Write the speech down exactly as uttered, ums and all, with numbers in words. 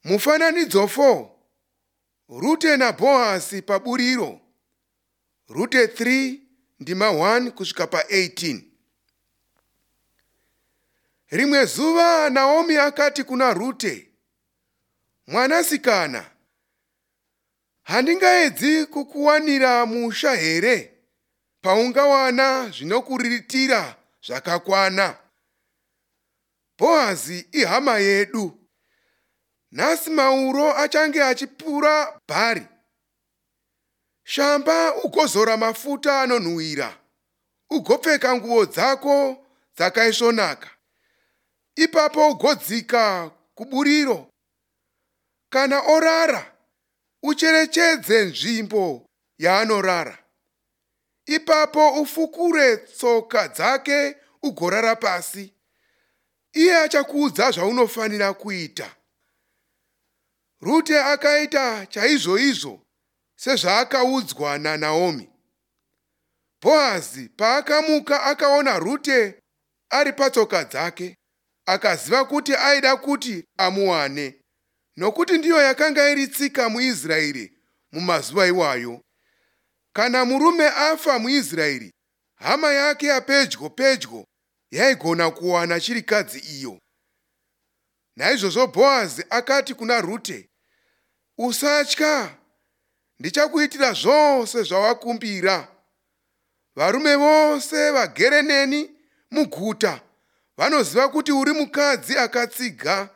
Mufananidzo four. Rute naBhoazi paburiro. Rute three ndima one kusvika pa eighteen. Rimwe zuva Naomi akati kuna Rute, "Mwanasikana, handingaedzi kukuwanira musha here paungawana zvinokuriritira zvakakwana? Bhoazi ihama yedu. Nhasi mauro achange achipura bhari. Shamba ugozora mafuta anonhuhwira, ugopfeka nguo dzako dzakaisvonaka. Ipapo ugodzika kuburiro. Kana orara, ucherechedze nzvimbo yaanorara. Ipapo ufukure tsoka dzake ugorara pasi. Iye achakuudza zvaunofanira kuita." Rute akaita chaizvoizvo sezvaakaudzwa naNaomi. Bhoazi paakamuka akaona Rute ari patsoka dzake, akaziva kuti aida kuti amuwane, nokuti ndiyo yakanga iri tsika muIsraeri mumazuva iwayo. Kana murume afa muIsraeri, hama yake yapedyo pedyo yaigona kuwana chirikadzi iyo. Naizvozvo Bhoazi akati kuna Rute, "Usatya, ndichakuitira zvose zvawakumbira. Varume vose vagere neni muguta vanoziva kuti uri mukadzi akatsiga.